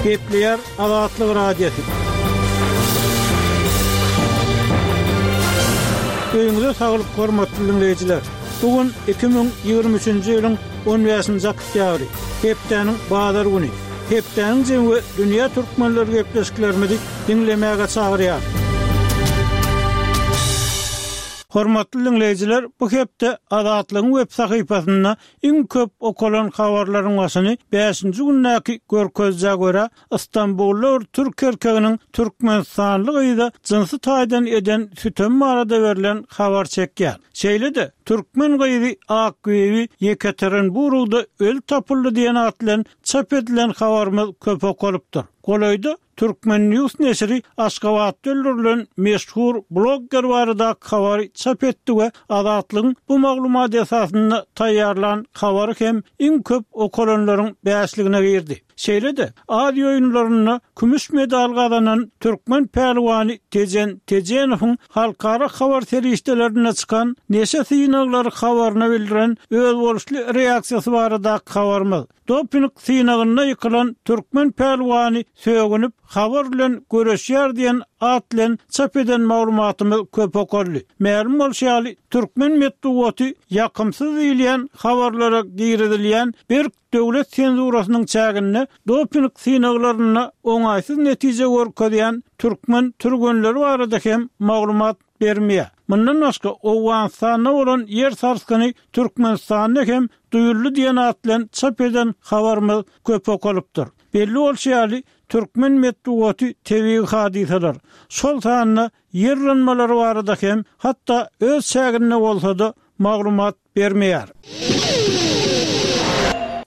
Gepleýär Azatlyk Radiosy. Öýüňize saglyk hormatly diňleýjiler! Bu gün 2023-nji ýylyň 15-nji oktýabry, hepdäniň bazar güni. Hepdäniň jemi we dünýä türkmenleri gepleşiklerimizi diňlemäge çagyrýar. Hormatly diňleýjiler, bu hepde Azatlygyň web sahypasynda iň köp okalan habarlaryň başyny bäşinji gündäki görkezijä görä, Stambulda bir türk erkeginiň türkmenistanly gyza jynsy taýdan eden sütemi barada berlen habar çekýär. Şeýle-de, türkmen gyzy Akbibi Ýekaterinburgda öli tapyldy diýen at bilen çap edilen habarymyz köp okalypdyr. Golaýda Turkmen. News neşiri Aşgabatda öldürilen meşhur blogger baradaky habary çap etdi we Azatlygyň bu maglumat esasynda taýýarlan habary hem iň köp okalanlaryň bäşligine girdi. Şeýle-de, Aziýa oýunlarynda kümüş medal gazanan türkmen pälwany Tejen Tejenowyň halkara habar serişdelerinde çykan neşe synaglary habaryna bildiren özboluşly reaksiýasy baradaky habarymyz, Doping synagynda ýykylan türkmen pälwany sögünip, habar bilen göreşýär diýen at bilen çap eden maglumatymyz köp okaldy. Mälim bolşy ýaly, türkmen metbugaty ýakymsyz diýilýän habarlara girizilýän berk döwlet senzurasynyň çäginde doping synaglarynda oňaýsyz netije görkezýän türkmen türgenleri barada hem maglumat bermeýär. Mundan başga, Owganystanda bolan ýer sarsgyny Türkmenistanda hem duýuldy diýen at bilen çap eden habarymyz köp okalypdyr. Belli bolşy ýaly, türkmen metbugaty tebigy hadysalar, şol sanda ýer yranmalary barada hem, hatda öz çäginde bolsa-da, maglumat bermeýär.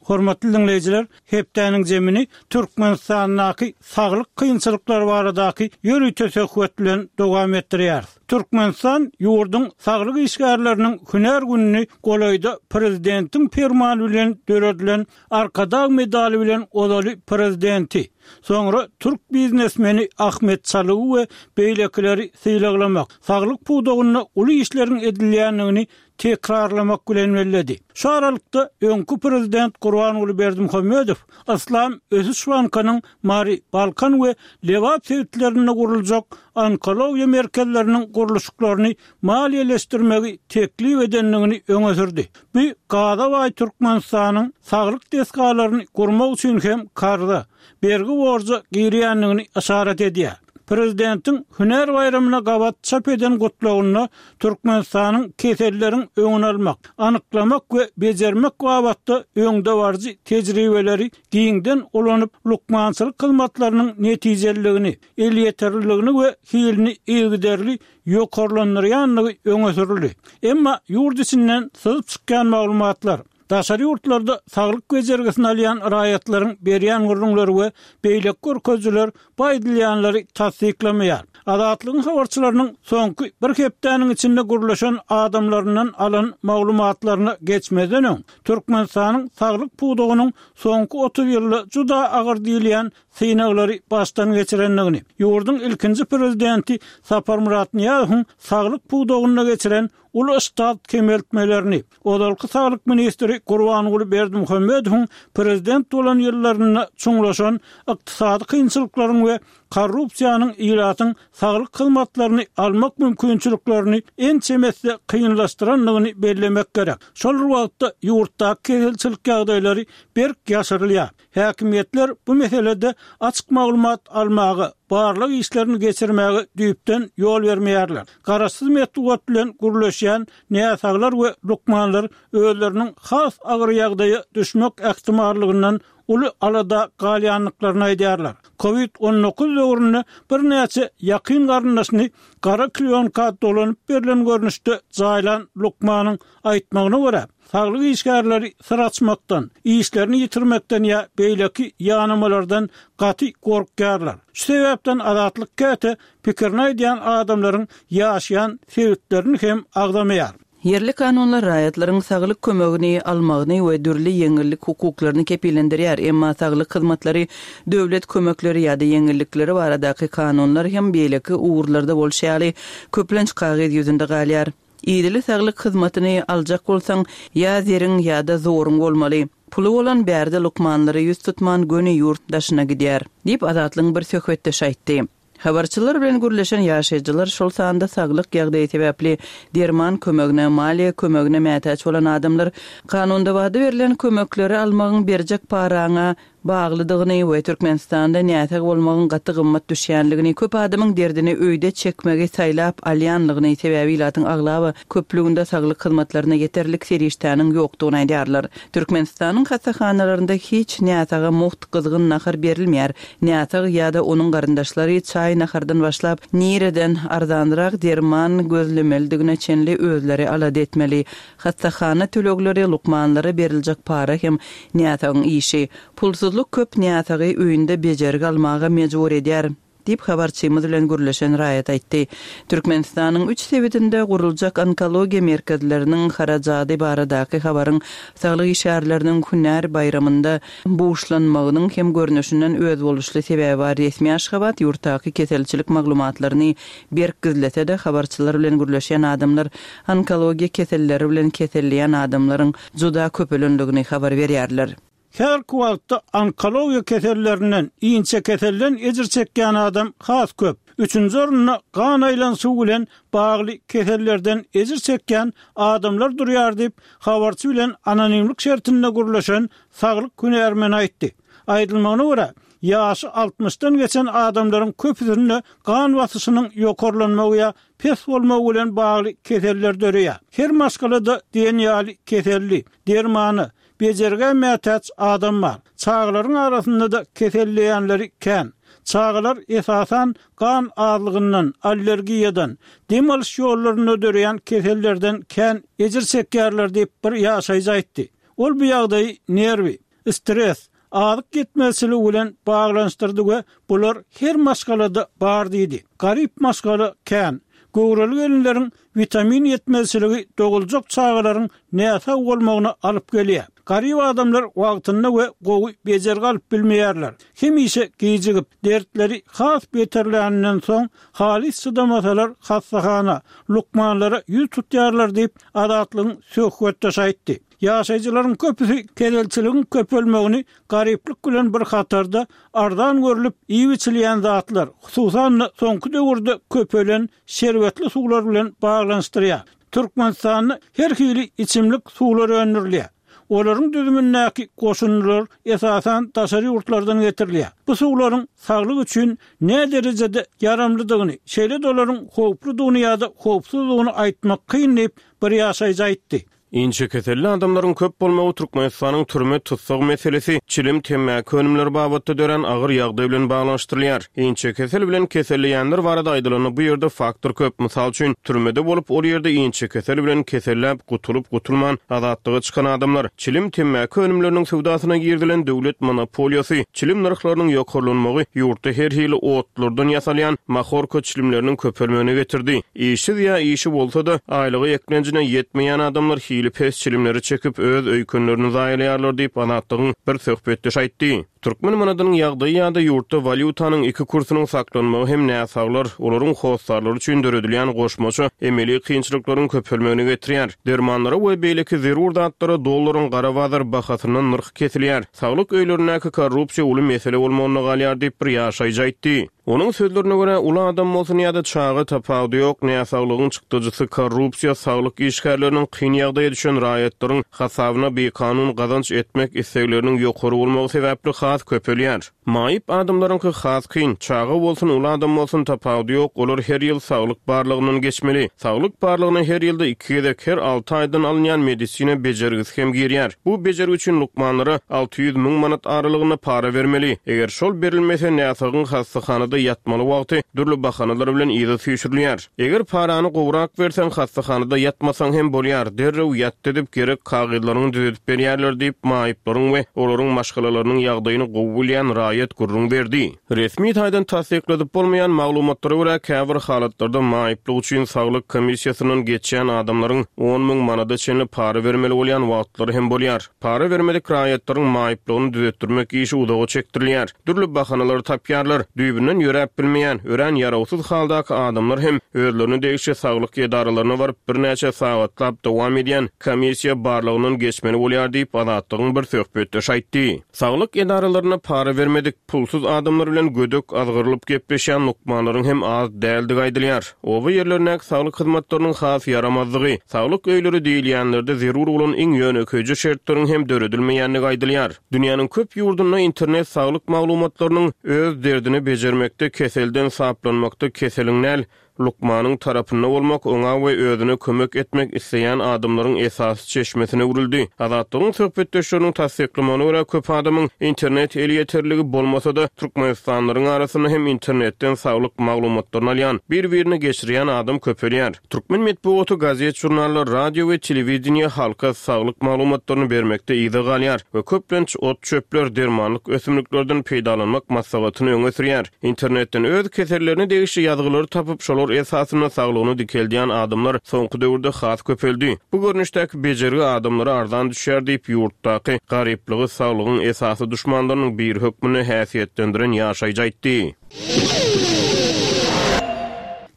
Hormatly diňleýjiler, hepdäniň jemini Türkmenistandaky saglyk kynçylyklary baradaky ýörite söhbet bilen dowam etdirýäris. Türkmenistan ýurduň saglyk işgärleriniň hünär gününi golaýda prezidentiň permany bilen döredilen Arkadag medaly bilen ozaly prezidenti, soňra türk biznesmeni Ahmet Çalygy we beýlekileri sylaglamak, saglyk pudagynda uly işleriň edilýändigini tekrarlamak bilen belledi. Şu aralykda, öňki prezident Gurbanguly Berdimuhamedow Yslam ösüş bankynyň Mary, Balkan we Lebap sebitlerinde guruljak onkologiýa merkezleriniň gurluşyklaryny maliýeleşdirmegi teklip edendigini öňe sürdi. Bu gaza baý Türkmenistanyň saglyk desgalaryny gurmak üçin hem karza, bergi-borja girýändigini yşarat edýär. Prezidentiň hünär baýramyna gabat çap eden gutlagynda Türkmenistanyň keselleriň öňüni almak, anyklamak we bejermek babatda öňdebaryjy tejribeleri giňden ulanyp, lukmançylyk hyzmatlarynyň netijeliligini, elýeterliligini we hilini yzygiderli ýokarlandyrýandygy öňe sürüldi. Emma ýurt içinden syzyp çykýan maglumatlar, daşary ýurtlarda saglyk bejergisini alýan raýatlaryň berýän gürrüňleri we beýleki görkezijiler bu aýdylýanlary tassyklamaýar. Azatlygyň habarçylarynyň soňky bir hepdäniň içinde gürleşen adamlaryndan alan maglumatlaryna geçmezden öň, Türkmenistanyň saglyk pudagynyň soňky 30 ýylda juda agyr diýilýän synaglary başdan geçirendigini, ýurduň ilkinji prezidenti Saparmyrat Nyýazowyň saglyk pudagynda geçiren uly ştat kemeltmelerini, ozalky saglyk ministri Gurbanguly Berdimuhamedowyň prezident bolan ýyllarynda çuňlaşan ykdysady kynçylyklaryň we korrupsiýanyň ilatyň saglyk hyzmatlaryny almak mümkinçiliklerini ençeme esse kynlaşdyrandygyny bellemek gerek. Şol bir wagtda, ýurtdaky keselçilik ýagdaýlary berk ýaşyrylýar. Häkimiýetler bu meselede açyk maglumat almaga, barlag işlerini geçirmäge düýpden ýol bermeýärler. Garaşsyz metbugat bilen gürleşýän näsaglar we lukmanlar özleriniň has agyr ýagdaýa düşmek ähtimallygyndan uly alada galýandyklaryny aýdýarlar. Covid 19 döwründe birnäçe ýakyn garyndaşyny gara klýonka dolanyp berlen görnüşde jaýlan lukmanyň aýtmagyna görä, Saglyk işgärleri syr açmakdan, işlerini ýitirmekden ýa beýleki ýanamalardan gaty gorkýarlar. Şu sebäpden Azatlyk käte pikirini aýdýan adamlaryň ýaşaýan sebitlerini hem agzamaýar. Ýerli kanunlar raýatlaryň saglyk kömegini almagyny we dürli ýeňillik hukuklaryny kepillendirýär, emma saglyk hyzmatlary, döwlet kömekleri ýa-da ýeňillikleri baradaky kanunlar hem beýleki ugurlarda bolşy ýaly, köplenç kagyz ýüzünde galýar. Idili saglyk hyzmatyny aljak bolsaň, ýa zeriň, ýa-da zoruň bolmaly. Puly bolan bärde lukmanlara ýüz tutman göni ýurt daşyna gidýär, diýip, Azatlygyň bir söhbetdeşi aýtdy. Habarçylar bilen gürleşen ýaşaýjylar, şol sanda saglyk ýagdaýy sebäpli derman kömegine, maliýe kömegine mätäç bolan adamlar kanunda wada berlen kömekleri almagyň berjek paraňa baglydygyny we Türkmenistanda näsag bolmagyň gaty gymmat düşýänligini, köp adamyň derdini öýde çekmegi saýlap alýanlygyny, sebäbi ilatyň aglaba köplüginde saglyk hyzmatlaryna ýeterlik serişdäniň ýokdugyny aýdýarlar. Türkmenistanyň hassahanalarynda hiç näsaga mugt gyzgyn nahar berilmeýär. Näsag ýa-da onuň garyndaşlary çaý-nahardan başlap, nireden arzanrak derman gözlemelidigine çenli özleri alada etmeli. Hassahana tölegleri, lukmanlara beriljek para hem näsagyň işi. Pulsuzlyk köp näsagy öýünde bejergi almaga mejbur edýär, diýip, habarçymyz bilen gürleşen raýat aýtdy. Türkmenistanyň üç sebitinde guruljak onkologiýa merkezleriniň harajady baradaky habaryň saglyk işgärleriniň hünär baýramynda buşlanmagynyň hem görnüşinden özboluşly sebäbi bar. Resmi Aşgabat ýurtdaky keselçilik maglumatlaryny berk gizlese-de, habarçylar bilen gürleşýän adamlar onkologiýa keselleri bilen keselleýän adamlaryň juda köpelendigini habar berýärler. Häzirki wagtda onkologiýa kesellerinden, inçekeselden ejir çekýän adam has köp. Üçünji orunda gan aýlanyşygy bilen bagly kesellerden ejir çekýän adamlar durýar diýip, habarçy bilen anonimlik şertinde gürleşen saglyk hünärmeni aýtdy. Aýdylmagyna görä, ýaşy altmyşdan geçen adamlaryň köpüsinde gan basyşynyň ýokarlanmagy ýa pes bolmagy bilen bagly keseller döreýär. Her maşgalada diýen ýaly keselli, dermana, bejergä mätäç adam bar. Çagalaryň arasynda-da keselleýänleri kän. Çagalar esasan gan azlygyndan, allergiýadan, dem alyş ýollarynda döreýän kesellerden kän ejir çekýärler diýip, bir ýaşaýjy aýtdy. Ol bu ýagdaýy nerwi, stres, azyk ýetmezçiligi bilen baglanyşdyrdy we bular her maşgalada bar diýdi. Garyp maşgala kän. Göwreli gelinleriň witamin ýetmezçiligi doguljak çagalaryň näsag bolmagyna alyp gelýär. Garyp adamlar wagtynda we gowy bejergi alyp bilmeýärler. Hemişe gijigip, dertleri has beterläninden soň, halys çydamasalar hassahana, lukmanlara ýüz tutýarlar diýip, Azatlygyň söhbetdeşi aýtdy. Ýaşaýjylaryň köpüsi keselçiligiň köpelmegini garyplyk bilen bir hatarda arzan görlüp iýip-içilýän zatlar, hususan-da soňky döwürde köpelen şerbetli suwlar bilen baglanyşdyrýar. Türkmenistanda her hili içimlik suwlar öndürilýär. Olaryň düzümindäki goşundylar esasan daşary ýurtlardan getirilýär. Bu suwlaryň saglyk üçin näderejede ýaramlydygyny, şeýle-de olaryň howpludygyny ýa-da howpsuzdygyny aýtmak kyn diýip, bir ýaşaýjy aýtdy. Inçekeselli adamlaryň köp bolmagy Türkmenistanyň türme tussag meselesi, çilim, temmäki önümleri babatda dörän agyr ýagdaý bilen baglanyşdyrylýar. Inçekesel bilen keselleýänler barada aýdylanda bu ýerde faktor köp. Mysal üçin, türmede bolup, ol ýerde inçekesel bilen keselläp, gutulyp-gutulman azatlyga çykan adamlar. Çilim, temmäki önümleriniň söwdasyna girizilen döwlet monopoliýasy, çilim nyrhlarynyň ýokarlanmagy ýurtda her hili otlardan ýasalýan mahorka çilimleriniň köpelmegine getirdi. Işsiz ýa işi bolsa-da, aýlygy eklenjine ýetmeýän adamlar hili pes çilimleri çekip, öz öýkenlerini zaýalaýarlar diýip, Azatlygyň bir söhbetdeşi aýtdy. Türkmen manadynyň ýagdaýy ýa-da ýurtda walýutanyň iki kursunyň saklanmagy hem näsaglar, olaryň hossarlary üçin döredilýän goşmaça emeli kynçylyklaryň köpelmegine getirýär. Dermanlara we beýleki zerur zatlara dollaryň gara bazar bahasyndan nyrh kesilýär. Saglyk öýlerindäki korrupsiýa uly mesele bolmagynda galýar diýip, bir ýaşaýjy aýtdy. Onuň sözlerine görä, uly adam bolsun ýa-da çaga tapawudy ýok, näsaglygyň çykdajysy korrupsiýa, saglyk işgärleriniň kyn ýagdaýa düşen raýatlaryň hasabyna bikanun gazanç etmek islegleriniň ýokary bolmagy sebäpli has köpelýär. Maýyp adamlaryňky has kyn, çaga bolsun, uly adam bolsun tapawudy ýok, olar her ýyl saglyk barlagyndan geçmeli. Saglyk barlagyna her ýylda iki gezek, her alty aýdan alynýan medisina bejergisi hem girýär. Bu bejergi üçin lukmanlara 600 müň manat aralygynda para bermeli. Eger şol berilmese, näsagyň hassahanada ýatmaly wagty dürli bahanalar bilen yza süýşürilýär. Eger parany gowrak berseň, hassahanada ýatmasaň hem bolýar, derrew ýat edip, gerek kagyzlaryňy düzedip berýärler diýip, maýyplaryň we olaryň maşgalalarynyň ýagdaýyny. ýagdaýyny gowy bilýän raýat gürrüň berdi. Resmi taýdan tassykladyp bolmaýan maglumatlara görä, käbir halatlarda maýyplyk üçin saglyk komissiýasyndan geçýän adamlaryň 10,000 manada çenli para bermeli bolýan wagtlary hem bolýar. Para bermedik raýatlaryň maýyplygyny düzetdirmek işi uzaga çekdirilýär. Dürli bahanalary tapýarlar. Düýbünden ýöräp bilmeýän, örän ýarawsyz haldaky adamlar hem özlerine degişli saglyk edaralaryna baryp, birnäçe sagatlap dowam edýän komissiýa barlagyndan geçmeli bolýar diýip, Azatlygyň bir söhbetdeşi aýtdy. Saglyk edaralarynda para bermedik, pulsuz adamlar bilen gödek azgyrylyp gepleşýän lukmanlaryň hem az däldigi aýdylýar. Oba ýerlerindäki saglyk hyzmatlarynyň has ýaramazdygy, saglyk öýleri diýilýänlerde zerur bolan iň ýönekeýje şertleriň hem döredilmeýändigi aýdylýar. Dünýäniň köp ýurdunda internet saglyk maglumatlarynyň öz derdini bejermekde, keselden saplanmakda keseliň däl, lukmanyň tarapynda bolmak, oňa we özüne kömek etmek isleýän adamlaryň esasy çeşmesine öwrüldi. Azatlygyň söhbetdeşleriniň tassyklamagyna görä, köp adamyň internet elýeterligi bolmasa-da, türkmenistanlylaryň arasynda hem internetden saglyk maglumatlaryny alýan, bir-birine geçirýän adam köpelýär. Türkmen metbugaty, gazet-žurnallar, radio we telewideniýe halka saglyk maglumatlaryny bermekde yza galýar we köplenç ot-çöpler, dermanlyk ösümliklerden peýdalanmak maslahatyny öňe sürýär. Internetden öz kesellerine degişli ýazgylary tapyp, şolar esasynda saglygyny dikeldýän adamlar soňky döwürde has köpeldi. Bu görnüşdäki bejergi adamlara arzan düşýär diýip, ýurtdaky garyplygy saglygyň esasy duşmanlarynyň biri hökmünde häsiýetlendiren ýaşaýjy aýtdy.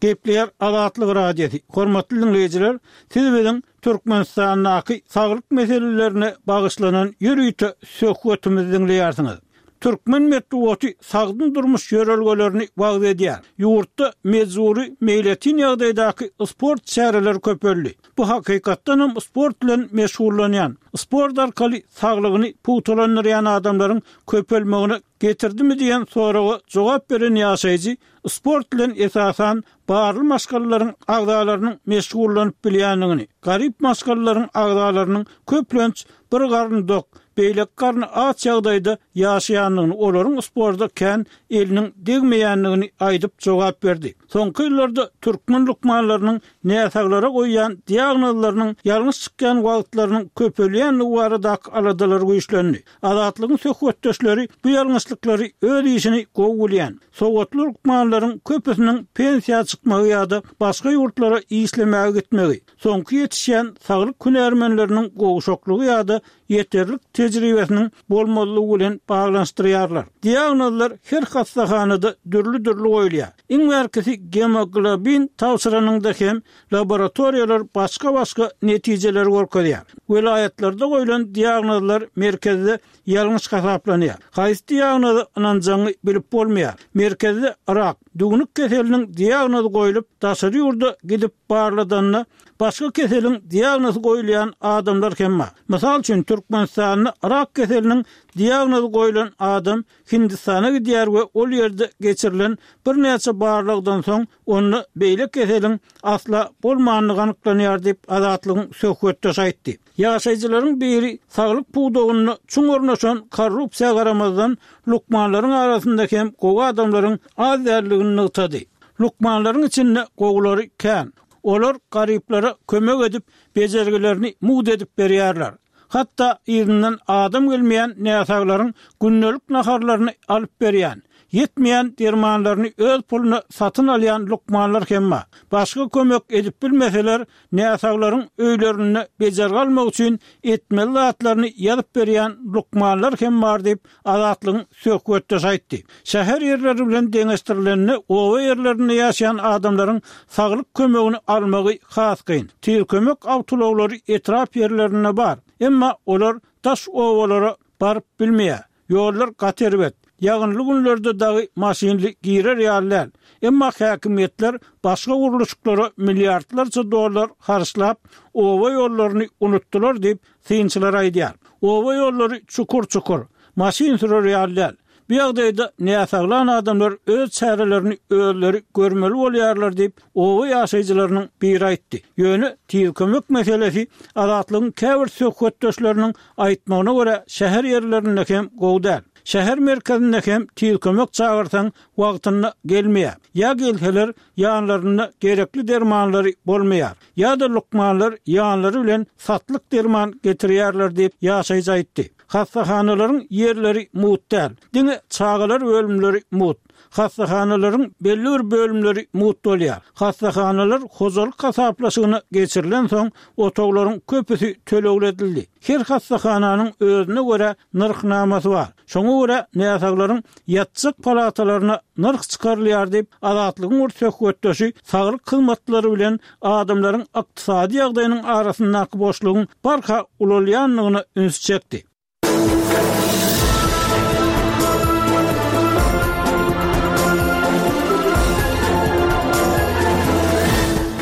Gepleýär Azatlyk Radiosy, Hormatly diňleýjiler, siz biziň Türkmenistandaky saglyk meselelerine bagyşlanan ýörite söhbetimizi diňleýärsiňiz. Türkmen metbugaty sagdyn durmuş ýörelgelerini wagyz edýär. Ýurtda mejbury meýletin ýagdaýdaky sport çäreleri köpeldi. Bu hakykatdan hem sport bilen meşgullanýan, sport arkaly saglygyny pugtalandyrýan adamlaryň köpelmegine getirdimi diýen soraga jogap beren ýaşaýjy sport bilen esasan barly maşgalalaryň agzalarynyň meşgullanyp bilýändigini, garyp maşgalalaryň agzalarynyň köplenç bir garny dok, beýleki garny aç ýagdaýda ýaşaýandygyny, olaryň sporta kän eliniň degmeýändigini aýdyp jogap berdi. Soňky ýyllarda türkmen lukmanlarynyň näsaglara goýýan diagnozlarynyň ýalňyş çykýan wagtlarynyň köpelýändigi baradaky aladalar güýçlendi. Azatlygyň söhbetdeşleri bu ýalňyşlyklary öz işini gowy bilýän, sowatly lukmanlaryň köpüsiniň pensiýa çykmagy ýa-da başga ýurtlara işlemäge gitmegi, soňky ýetişýän saglyk hünärmenleriniň gowşaklygy ýa-da ýeterlik tejribesiniň bolmazlygy bilen baglanyşdyrýarlar. Diagnozlar her hassahanada dürli-dürli goýulýar. Iň bärkisi gemoglobin tabşyranyňda hem laboratoriýalar başga-başga netijeleri görkezýär. Welaýatlarda goýlan diagnozlar merkezde ýalňyş hasaplanýar. Haýsy diagnoza ynanjagyňy bilip bolmaýar. Merkezde rak, düwnük keseliniň diagnozy goýlup, daşary ýurda gidip barladanda, başga keseliň diagnozy goýulýan adamlar hem bar. Mysal üçin, Türkmenistanda rak keseliniň diagnozy goýlan adam Hindistana gidýär we ol ýerde geçirilen birnäçe barlagdan soň onda beýle keseliň asla bolmandygy anyklanýar diýip, Azatlygyň söhbetdeşi aýtdy. Ýaşaýjylaryň biri saglyk pudagynda çuň ornaşan korrupsiýa garamazdan, lukmanlaryň arasynda hem gowy adamlaryň az däldigini nygtady. Lukmanlaryň içinde gowulary kän. Olar garyplara kömek edip, bejergilerini mugt edip berýärler. Hatda yzyndan adam gelmeýän näsaglaryň gündelik naharlaryny alyp berýän, ýetmeýän dermanlaryny öz puluna satyn alýan lukmanlar hem bar. Başga kömek edip bilmeseler, näsaglaryň öýlerinde bejergi almak üçin etmeli zatlaryny ýazyp berýän lukmanlar hem bar diýip, Azatlygyň söhbetdeşi aýtdy. Şäher ýerleri bilen deňeşdirilende, oba ýerlerinde ýaşaýan adamlaryň saglyk kömegini almagy has kyn. Tiz kömek awtoulaglary etrap ýerlerinde bar. Emma olar daş obalara baryp bilmeýär. Ýollar gaty erbet. Ýagynly günlerde dagy maşynly girer ýaly däl. Emma häkimiýetler başga gurluşyklara milliardlarça dollar harçlap, oba ýollaryny unutdylar diýip, synçylar aýdýar. Oba ýollary çukur-çukur, maşyn sürer ýaly däl. Bu ýagdaýda näsaglan adamlar öz çärelerini özleri görmeli bolýarlar diýip, oba ýaşaýjylarynyň biri aýtdy. Ýöne tiz kömek meselesi Azatlygyň käbir söhbetdeşleriniň aýtmagyna görä, şäher ýerlerinde hem gowy däl. Şäher merkezinde hem tiz kömek çagyrsaň wagtynda gelmeýär. Ýa gelseler ýanlarynda gerekli dermanlary bolmaýar. Ýa-da lukmanlar ýanlary bilen satlyk derman getirýärler diýip, ýaşaýjy aýtdy. Hassahanalaryň ýerleri mugt däl. Diňe çagalar bölümleri mugt. Hassahanalaryň belli bir bölümleri mugt bolýar. Hassahanalar hojalyk hasaplaşygyna geçirilensoň, otaglaryň köpüsi tölegli edildi. Her hassahananyň özüne görä nyrhnamasy bar. Şoňa görä näsaglaryň ýatjak palatalaryna nyrh çykarylýar diýip, Azatlygyň bir söhbetdeşi saglyk hyzmatlary bilen adamlaryň ykdysady ýagdaýynyň arasyndaky boşlugyň barha ulalýandygyna ünsi çekdi.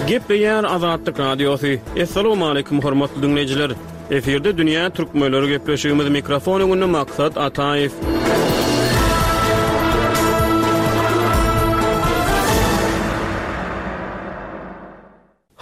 Gepleýär Azatlyk Radiosy. Assalamualaikum hormatly diňleýjiler. Efirde dünýä türkmenleri gepleşigimiz mikrofon öňünde Maksat Ataýew.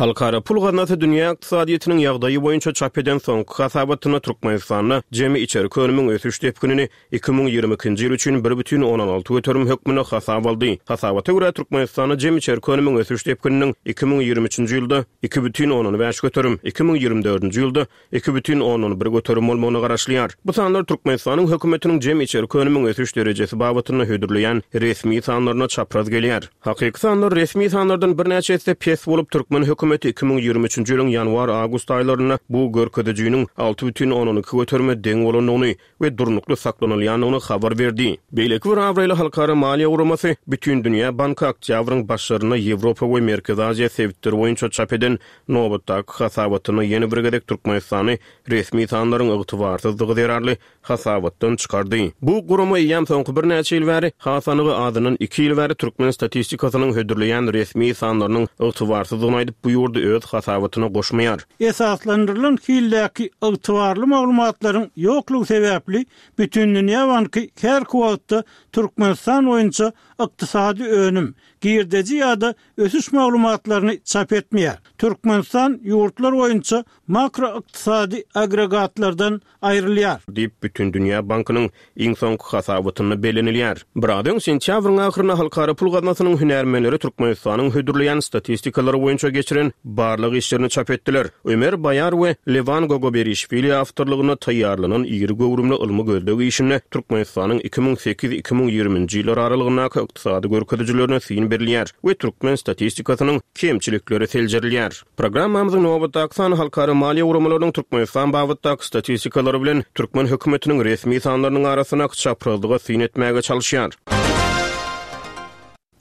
Halkara pul gaznasy dünýä ykdysadyýetiniň ýagdaýy boýunça çap eden soňky hasabatynda Türkmenistanda jemi içerki önümiň ösüş depginini 2022-nji ýyl üçin 1,6 göterim hökmünde hasaba aldy. Hasabata görä, Türkmenistanda jemi içerki önümiň ösüş depgininiň 2023-nji ýylda 2,5 göterim, 2024-nji ýylda 2,1 göterim bolmagyna garaşylýar. Bu sanlar Türkmenistanyň hökümetiniň jemi içerki önümiň ösüş derejesi babatynda hödürleýän resmi sanlaryna çapraz gelýär. Hakyky sanlar resmi sanlardan birnäçe esse pes bolup, türkmen hökümeti 2023-nji ýylyň ýanwar-awgust aýlarynda bu görkezijiniň 6,2 göterime deň bolandygyny we durnukly saklanylýandygyny habar berdi. Beýleki bir abraýly halkara maliýe guramasy Bütindünýä banky oktýabryň başlarynda Ýewropa we Merkezi Aziýa sebitleri boýunça çap eden nobatdaky hasabatynda ýene bir gezek Türkmenistany resmi sanlaryň ygtybarsyzdygy zerarly hasabatdan çykardy. Bu gurama eýýäm soňky birnäçe ýyl bäri, has anygy azyndan iki ýyl bäri türkmen statistikasynyň hödürleýän resmi sanlarynyň ygtybarsyzdygyny aýdyp, bu ýurdy öz hasabatyna goşmaýar. Esaslandyrylan hildäki ygtybarly maglumatlaryň ýoklugy sebäpli Bütindünýä banky häzirki wagtda Türkmenistan boýunça ykdysady önüm, girdeji ýa-da ösüş maglumatlaryny çap etmeýär. Türkmenistan ýurtlar boýunça makroykdysady agregatlardan aýrylýar. Diýip, Bütindünýä bankynyň iň soňky hasabatynda bellenilýär. Biraz öň, sentýabryň ahyrynda Halkara pul gaznasynyň hünärmenleri Türkmenistanyň hödürleýän statistikalary boýunça geçiren barlag işlerini çap etdiler. Ömer Baýar we Lewan Gogoberişwili awtorlygynda taýýarlanan iri göwrümli ylmy-gözleg işinde Türkmenistanyň 2008, 2020-nji ýyllar aralygyndaky ykdysady görkezijilerine syn berilýär we türkmen statistikasynyň kemçilikleri seljerilýär. Programmamyzyň nobatdaky sany halkara maliýe guramalarynyň Türkmenistan babatdaky statistikalary bilen türkmen hökümetiniň resmi sanlarynyň arasyndaky çaprazlyga syn etmäge çalyşýar.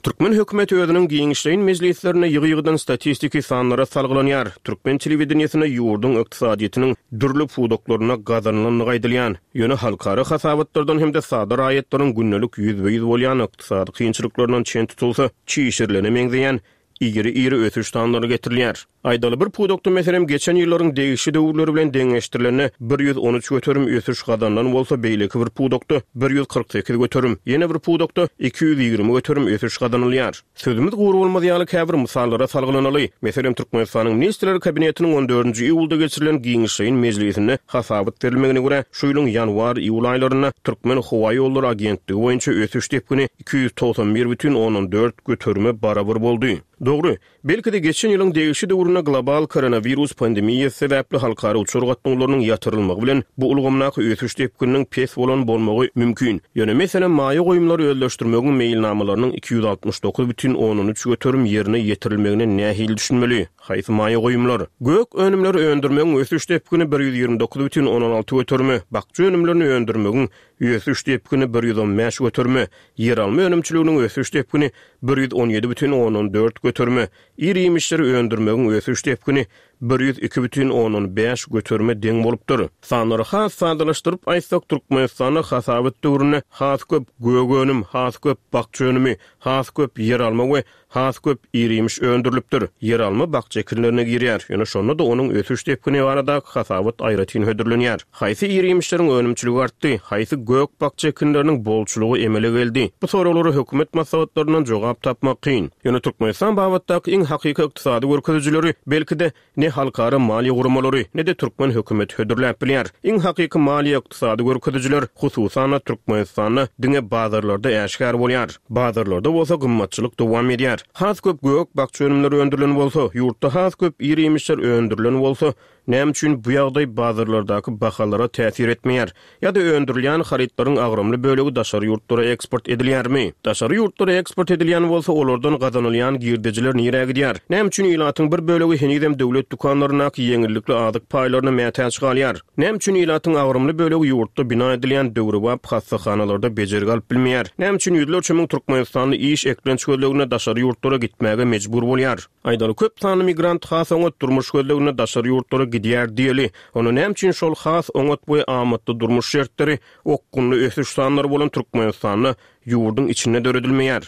Türkmen hökümeti özüniň giňişleýin mejlislerinde ýygy-ýygydan statistiki sanlara salgylanýar. Türkmen telewideniýesinde ýurduň ykdysadyýetiniň dürli pudaklarynda gazanylandygy aýdylýan, ýöne halkara hasabatlardan hem-de sada raýatlaryň gündelik ýüzbe-ýüz bolýan ykdysady kynçylyklaryndan çen tutulsa, çişirilene meňzeýän iri-iri ösüş sanlary getirilýär. Aýdaly, bir pudakda, meselem, geçen ýyllaryň degişli döwürleri bilen deňeşdirilende 113% ösüş gazanylan bolsa, beýleki bir pudakda 148%, ýene bir pudakda 220% ösüş gazanylýar. Sözümiz gury bolmaz ýaly käbir mysallara salgylanaly. Meselem, Türkmenistanyň Ministrler Kabinetiniň on dördünji iýulda geçirilen giňişleýin mejlisinde hasabat berilmegine görä, şu ýylyň ýanwar-iýul aýlarynda Türkmenhowaýollary agentligi boýunça ösüş depgini 291,4 göterime barabar boldy. Dogry, belki-de geçen ýylyň degişli döwründe global koronawirus pandemiýasy sebäpli halkara uçar gatnawlarynyň ýatyrylmagy bilen bu ulgamdaky ösüş depgininiň pes bolan bolmagy mümkin. Ýöne, meselem, maýa goýumlary özleşdirmegiň meýilnamalarynyň 269,3 göterim ýerine ýetirilmegine nähili düşünmeli? Haýsy maýa goýumlar? Gök önümleri öndürmegiň ösüş depgini 129,6 göterime, bakja önümlerini öndürmegiň Ösüş depgini 115 göterime, ýeralma önümçiliginiň ösüş depgini 117 bütin ondan dört göterime, ir-iýmişleri öndürmegiň ösüş depgini 102 bütin ondan bäş göterime deň bolupdyr. Sanlary has sadalaşdyryp aýtsak, Türkmenistanda hasabat döwründe has köp gök önüm, has köp bakja önümi, has köp ýeralma we Has köp ir-iýmiş öndürilipdir. Ýeralma bakja ekinlerine girýär, ýöne şonda-da onuň ösüş depgini baradaky hasabat aýratyn hödürlenýär. Haýsy ir-iýmişleriň önümçiligi artdy? Haýsy gök-bakja ekinleriniň bolçulygy emele geldi? Bu soraglara hökümet maslahatlaryndan jogap tapmak kyn. Ýöne Türkmenistan babatdaky iň hakyky ykdysady görkezijileri, belki-de, ne. halkara maliýe guramalary, ne-de türkmen hökümeti hödürläp bilýär. Iň hakyky maliýe-ykdysady görkezijiler, hususan-da, Türkmenistanda diňe bazarlarda äşgär bolýar. Bazarlarda bolsa gymmatçylyk dowam edýär. Has köp gök-bakja önümleri öndürilen bolsa, ýurtda has köp ir-iýmişler öndürilen bolsa, näme üçin bu ýagdaý bazarlardaky bahalara täsir etmeýär? Ýa-da öndürilýän harytlaryň agramly bölegi daşary ýurtlara eksport edilýärmi? Daşary ýurtlara eksport edilýän bolsa, olardan gazanylýan girdejiler nirä gidýär? Näme üçin ilatyň bir bölegi henizem döwlet dükanlaryndaky ýeňillikli azyk paýlaryna mätäç galýar? Näme üçin ilatyň agramly bölegi ýurtda bina edilýän döwrebap hassahanalarda bejergi alyp bilmeýär? Näme üçin ýüzlerçe müň türkmenistanly iş, eklenç gözleginde daşary ýurtlara gitmäge mejbur bolýar? Aýdaly, köp sanly migrant has oňat durmuş gözleginde daşary ýurtlara gidýär diýeli. Onda näme üçin şol has oňat we amatly durmuş şertleri, okgunly ösüş sanlary bolan Türkmenistanda, ýurduň içinde döredilmeýär?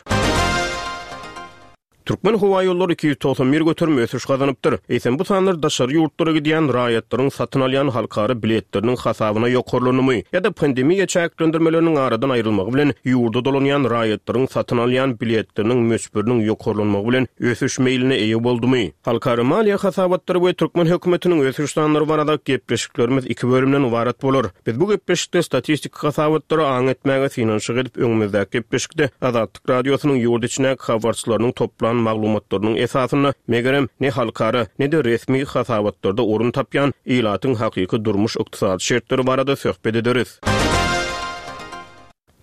Türkmenhowaýollary 291% ösüş gazanypdyr. Eýsem, bu sanlar daşary ýurtlara gidýän raýatlaryň satyn alýan halkara biletleriniň hasabyna ýokarlandymy ýa-da pandemiýa çäklendirmeleriniň aradan aýrylmagy bilen ýurda dolanýan raýatlaryň satyn alýan biletleriniň möçberiniň ýokarlanmagy bilen ösüş meýline eýe boldumy? Halkara maliýe hasabatlary we türkmen hökümetiniň ösüş sanlary barada gepleşiklerimiz iki bölümden ybarat bolar. Biz bu gepleşikde statistiki hasabatlara aň etmäge synanyşyk edip, öňümizdäki gepleşikde Azatlyk Radiosynyň ýurt içindäki habarçylarynyň toplan maglumatlarynyň esasynda, megerem, ne halkara, ne-de resmi hasabatlarda orun tapýan ilatyň hakyky durmuş-ykdysady şertleri barada söhbet ederis.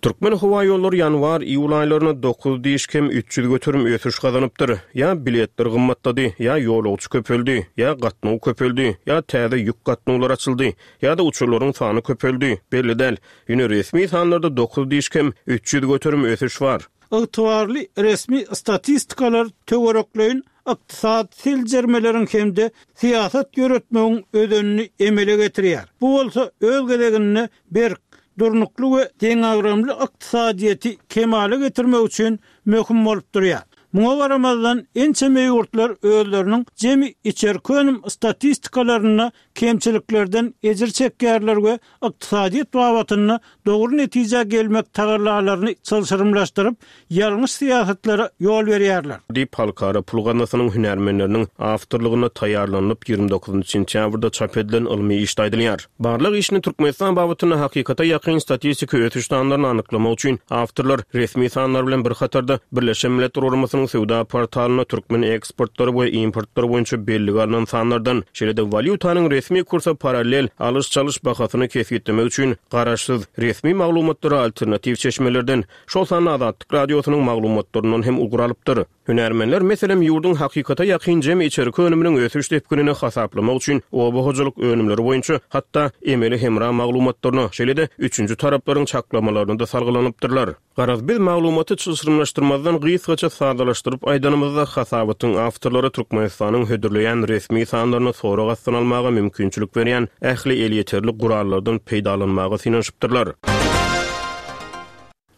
Türkmenhowaýollary ýanwar-iýul aýlarynda dokuz diş kem 300% ösüş gazanypdyr. Ýa biletler gymmatlady, ýa ýolagçy köpeldi, ýa gatnaw köpeldi, ýa täze ýük gatnawlary açyldy, ýa-da uçarlaryň sany köpeldi, belli däl. Ýöne resmi sanlarda dokuz diş kem 300% ösüş bar. Ygtybarly resmi statistikalar töwerekleýin ykdysady seljermeleriň hem-de syýasat ýöretmegiň özenini emele getirýär. Bu bolsa öz gezeginde berk, durnukly we deňagramly ykdysadyýeti kemala getirmek üçin möhüm bolup durýar. Muňa garamazdan, ençeme ýurtlar özleriniň jemi içerki önüm statistikalarynda kemçiliklerden ejir çekýärler we ykdysadyýet babatynda dogry netijä gelmek tagallalaryny çylşyrymlaşdyryp, ýalňyş syýasatlara ýol berýärler. Diýip, Halkara pul gaznasynyň hünärmenleriniň awtorlygynda taýýarlanylyp, 29 sentýabrda çap edilen ylmy işde aýdylýar. Barlag işini Türkmenistan babatynda hakykata ýakyn statistiki ösüş sanlaryny anyklamak üçin awtorlar resmi sanlar bilen bir hatarda Birleşen Milletler Guramasynyň söwda portalynda türkmen eksportlary we importlary boýunça bellige alnan sanlardan, şeýle-de walýutanyň resmi kursa parallel alyş-çalyş bahasyny kesgitlemek üçin garaşsyz, resmi maglumatlara alternatiw çeşmelerden, şol sanda Azatlyk Radiosynyň maglumatlaryndan hem ugur alypdyr. Hünärmenler, meselem, ýurduň hakykata ýakyn jemi içerki önüminiň ösüş depginini hasaplamak üçin oba hojalyk önümleri boýunça hatda emeli hemra maglumatlaryna, şeýle-de üçünji taraplaryň çaklamalaryna-da salgylanypdyrlar. Garaz, biz maglumaty çylşyrymlaşdyrmazdan gysgaça sadalaşdyryp aýdanymyzda, hasabatyň awtorlary Türkmenistanyň hödürleýän resmi sanlaryny sorag astyna almaga mümkinçilik berýän ähli elýeterli gurallardan peýdalanmaga synanyşypdyrlar.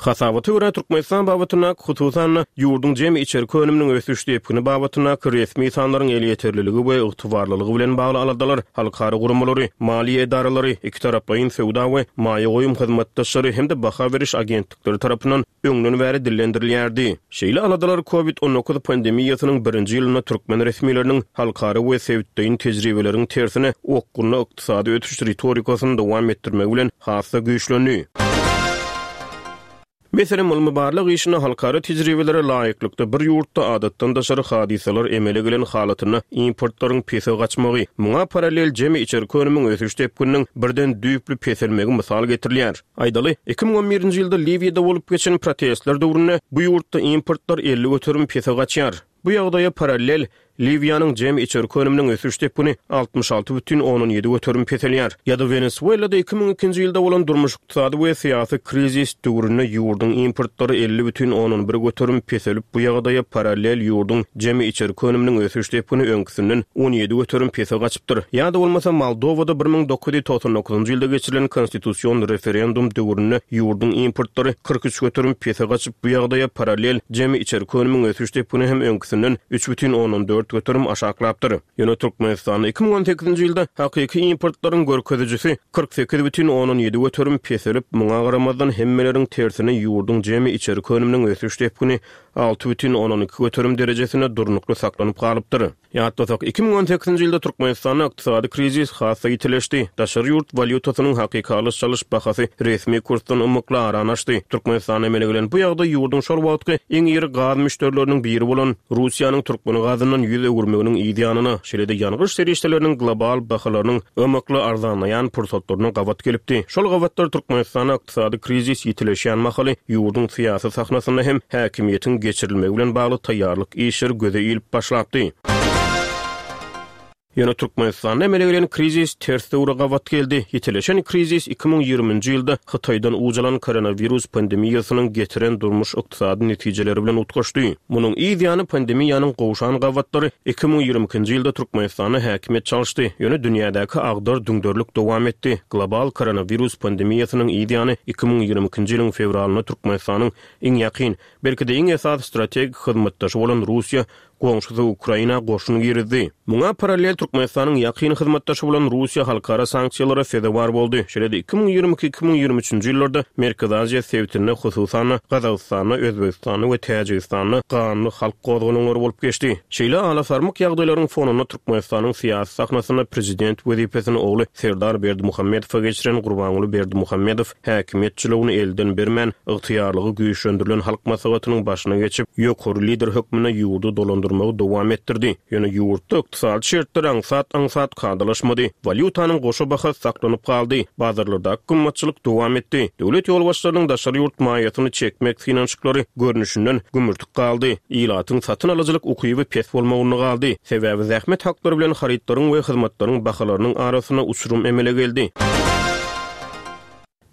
Hasabata görä, Türkmenistan babatyndaky, hususan-da, ýurduň jemi içerki önüminiň ösüş depgini babatyndaky resmi sanlaryň elýeterliligi we ygtybarlylygy bilen bagly aladalar halkara guramalary, maliýe edaralary, ikitaraplaýyn söwda we maýa goýum hyzmatdaşlary hem-de baha beriş agentlikleri tarapyndan öňden bäri dillendirilýärdi. Şeýle aladalar Covid 19 pandemiýasynyň birinji ýylynda türkmen resmileriniň halkara we sebitleýin tejribeleriň tersine okgunly ykdysady ösüş ritorikasyny dowam etdirmegi bilen has-da güýçlendi. Meselem, ylmy-barlag işinde halkara tejribelere laýyklykda bir ýurtda adatdan daşary hadysalar emele gelen halatynda importlaryň pese gaçmagy, muňa parallel jemi içerki önümiň ösüş depgininiň birden düýpli peselmegi mysal getirilýär. Aýdaly, 2011-nji ýylda Liwiýada bolup geçen protestler döwründe bu ýurtda importlar 50% pese gaçýar. Bu ýagdaýa parallel, Liwiýanyň jemi içerki önüminiň ösüş depgini 66,7% peselýär. Ýa-da Wenesuelada 2002-nji ýylda bolan durmuş-ykdysady we syýasy krizis döwründe ýurduň importlary 50,1% peselip, bu ýagdaýa parallel ýurduň jemi içerki önüminiň ösüş depgini öňküsinden 17% pese gaçypdyr. Ýa-da bolmasa Moldowada 1999-njy ýylda geçirilen konstitusion referendum döwründe ýurduň importlary 43% pese gaçyp, bu ýagdaýa parallel jemi içerki önümiň ösüş depgini hem öňküsinden 3,4. 4 göterim aşaklapdyr. Ýöne Türkmenistanda 2018-nji ýylda hakyky importlaryň görkezijisi 48,7 göterim peselip, muňa garamazdan hemmeleriň tersine ýurduň jemi içerki önüminiň ösüş depgini 6,2 göterim derejesinde durnukly saklanyp galypdyr. Ýatlasak, 2018-nji ýylda Türkmenistanda ykdysady krizis has-da ýitileşdi. Daşary ýurt walýutasynyň hakyky alyş-çalyş bahasy resmi kursdan ymykly arany açdy. Türkmenistanda emele gelen bu ýagdaý ýurduň şol wagtky iň iri gaz müşderileriniň biri bolan Russiýanyň türkmen gazyndan ýüz öwürmeginiň yz ýanyna, şeýle-de ýangyç serişdeleriniň global bahalarynyň ymykly arzanlaýan pursatlaryna gabat gelipdi. Şol gabatlar Türkmenistanda Ykdysady krizis ýitileşýän mahaly ýurduň syýasy sahnasynda hem häkimiýetiň geçirilmegi bilen bagly taýýarlyk işleri göze ilip başlapdy. Ýöne Türkmenistanda emele gelen krizis ters döwre gabat geldi. Ýitileşen krizis 2020-nji ýylda Hytaýdan uç alan koronawirus pandemiýasynyň getiren durmuş-ykdysady netijeleri bilen utgaşdy. Munuň yz ýany pandemiýanyň gowşan gabatlary 2022-nji ýylda Türkmenistanda häkimiýet çalyşdy, ýöne dünýädäki agdar-düňderlik dowam etdi. Global koronawirus pandemiýasynyň yz ýany 2022-nji ýylyň fewralynda Türkmenistanyň iň ýakyn, belki-de iň esasy strategik hyzmatdaşy bolan Russiýa goňşusy Ukraina goşun girizdi. Muňa parallel Türkmenistanyň ýakyn hyzmatdaşy bolan Russiýa halkara sanksiýalara sezewar boldy. Şeýle-de 2022, 2023-nji ýyllarda Merkezi Aziýa sebitinde, hususan-da, Gazagystanda, Özbegistanda we Täjigistanda ganly halk gozgalaňlary bolup geçdi. Şeýle alasarmyk ýagdaýlaryň fonunda Türkmenistanyň syýasy sahnasynda prezident wezipesini ogly Serdar Berdimuhamedowa geçiren Gurbanguly Berdimuhamedow häkimiýet jylawyny elden bermän, ygtyýarlygy güýçlendirilen Halk Maslahatynyň başyna geçip, ýokary lider hökmünde ýurdy dolandyrmagy dowam etdirdi. Ýöne ýurtda ykdysady şertler aňsat-aňsat kadalaşmady. Walýutanyň goşa bahasy saklanyp galdy, bazarlardaky gymmatçylyk dowam etdi. Döwlet ýolbaşçylarynyň daşary ýurt maýasyny çekmek synanyşyklary, görnüşinden, gümürtik galdy. Ilatyň satyn alyjylyk ukyby pes bolmagynda galdy. Sebäbi zähmet haklary bilen harytlaryň we hyzmatlaryň bahalarynyň arasynda uçurum emele geldi.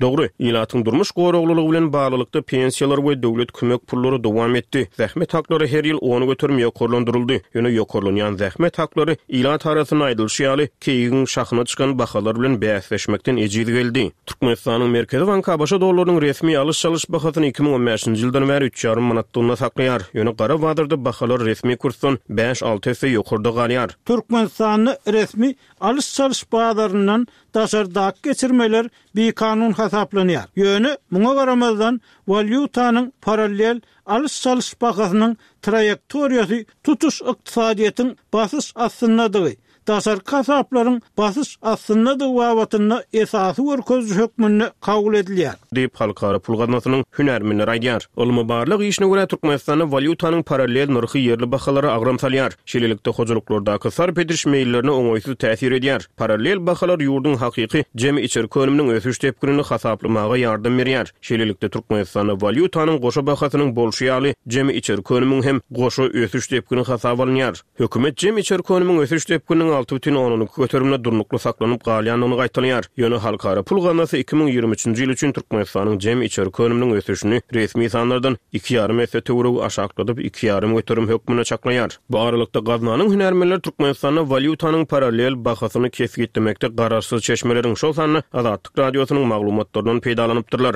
Dogry, ilatyň durmuş goraglylygy bilen baglylykda pensiýalar we döwlet kömek pullary dowam etdi, zähmet haklary her ýyl 10% ýokarlandyryldy, ýöne ýokarlanýan zähmet haklary, ilat arasynda aýdylyşy ýaly, keýigiň şahyna çykan bahalar bilen bäsleşmekden ejiz geldi. Türkmenistanyň Merkezi banky ABŞ dollarynyň resmi alyş-çalyş bahasyny 2015-nji ýyldan bäri üç ýarym manatlygyna saklaýar, ýöne gara bazarda bahalar resmi kursdan bäş-alty esse ýokarda galýar. Türkmenistanda resmi alyş-çalyş bazaryndan daşardaky geçirmeler bikanun hasaplanýar. Ýöne, muňa garamazdan, walýutanyň parallel alyş-çalyş bahasynyň traýektoriýasy tutuş ykdysadyýetiň basyş astyndadygy, daşarky hasaplaryň basyş astyndadygy babatynda esasy görkeziji hökmünde kabul edilýär. Diýip, Halkara pul gaznasynyň hünärmenleri aýdýar. Ylmy-barlag işine görä, Türkmenistanda walýutanyň parallel nyrhy ýerli bahalara agram salýar. Şeýlelikde, hojalyklardaky sarp ediş meýillerine oňaýsyz täsir edýär. Parallel bahalar ýurduň hakyky jemi içerki önüminiň ösüş depginini hasaplamaga ýardam berýär. Şeýlelikde, Türkmenistanda walýutanyň goşa bahasynyň bolşy ýaly, jemi içerki önümiň hem goşa ösüş depgini hasaba alynýar. Hökümet jemi içerki önümiň ösüş depgininiň 6,2 göterimine durnukly saklanyp galýandygyny gaýtalaýar. Ýöne Halkara pul gaznasy 2023-nji ýyl üçin Türkmenistanyň jemi içerki önüminiň ösüşini resmi sanlardan iki ýarym esse töweregi aşakladyp, iki ýarym göterim hökmünde çaklaýar. Bu aralykda, gaznanyň hünärmenleri Türkmenistanda walýutanyň parallel bahasyny kesgitlemekde garaşsyz çeşmeleriň, şol sanda Azatlyk Radiosynyň maglumatlaryndan peýdalanypdyrlar.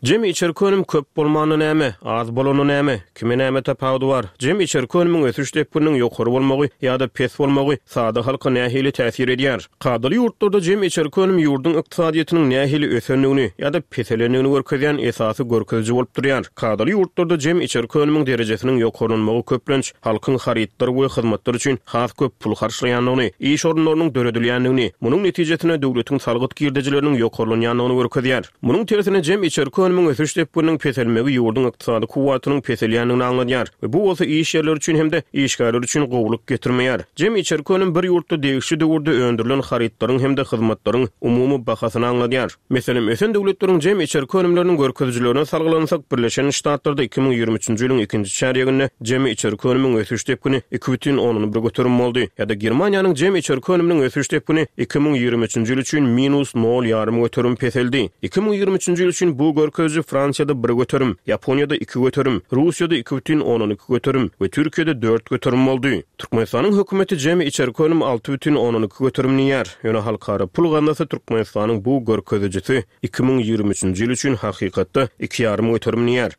Jemi içerki önüm köp bolmanda näme, az bolanda näme, kime näme tapawudy bar? Jemi içerki önümiň ösüş depgininiň ýokary bolmagy ýa-da pes bolmagy sada halka nähili täsir edýär? Kadaly ýurtlarda jemi içerki önüm ýurduň ykdysadyýetiniň nähili ösendigini ýa-da peselendigini görkezýän esasy görkeziji bolup durýar. Kadaly ýurtlarda jemi içerki önümiň derejesiniň ýokarlanmagy köplenç halkyň harytlar we hyzmatlar üçin has köp pul harçlaýandygyny, iş orunlarynyň döredilýändigini, munuň netijesinde döwletiň salgyt girdejileriniň ýokarlanýandygyny görkezýär. Munuň tersine jem içerki önümiň ösüş depgininiň peselmegi ýurduň ykdysady kuwwatynyň peselýändigini aňladýar we bu bolsa iş ýerleri üçin hem-de işgärler üçin gowulyk getirmeýär. Jem içerki önüm bir ýurtda degişli döwürde öndürilen harytlaryň hem-de hyzmatlaryň umumy bahasyny aňladýar. Meselem, ösen döwletleriň jem içerki önümleriniň görkezijilerine salgylansak, Birleşen Ştatlarda 2023-nji ýylyň ikinji çärýeginde jemi içerki önümiň ösüş depgini 2,1 göterim boldy ýa-da Germaniýanyň jemi içerki önüminiň ösüş depgini 2023-nji ýyl üçin minus nol ýarym göterim peseldi. 2023-nji ýyl üçin bu görkeziji Fransiýada bir göterim, Ýaponiýada iki göterim, Russiýada 2,2 göterim we Türkiýede dört göterim boldy. Türkmenistanyň hökümeti jemi içerki önüm 6,2 göterim diýýär, ýöne Halkara pul gaznasy Türkmenistanyň bu görkezijisi 2023-nji ýyl üçin hakykatda iki ýarym göterim diýýär.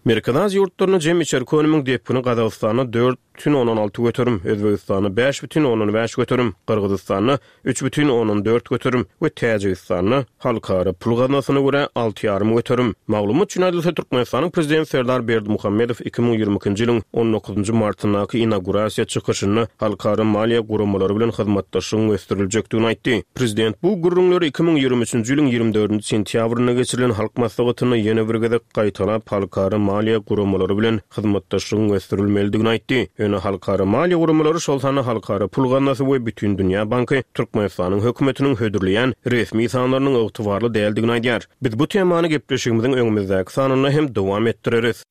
Merkezi Aziýa ýurtlarynda jemi içerki önümiň depgini Gazagystanda 4,6 göterim, Özbegistanda 5,5 göterim, Gyrgyzystanda 3,4 göterim we Täjigistanda, Halkara pul gaznasyna görä, alty ýarym göterim. Maglumat üçin aýdylsa, Türkmenistanyň Prezidenti Serdar Berdimuhamedow 2022-nji ýylyň on dokuzynjy martyndaky inaugurasiýa çykyşynda halkara maliýe guramalary bilen hyzmatdaşlygyň ösdüriljekdigini aýtdy. Prezident bu gürrüňleri 2023-nji ýylyň 24-nji sentýabrynda geçirilen Halk Maslahatynda ýene bir gezek gaýtalap, halkara maliýe guramalary bilen hyzmatdaşlygyň ösdürilmelidigini aýtdy. Ýöne halkara maliýe guramalary, şol sanda Halkara pul gaznasy we Bütindünýä banky Türkmenistanyň hökümetiniň hödürleýän resmi sanlarynyň ygtybarly däldigini aýdýar. Biz bu temany gepleşigimiziň öňümizdäki sanynda hem dowam etdireris.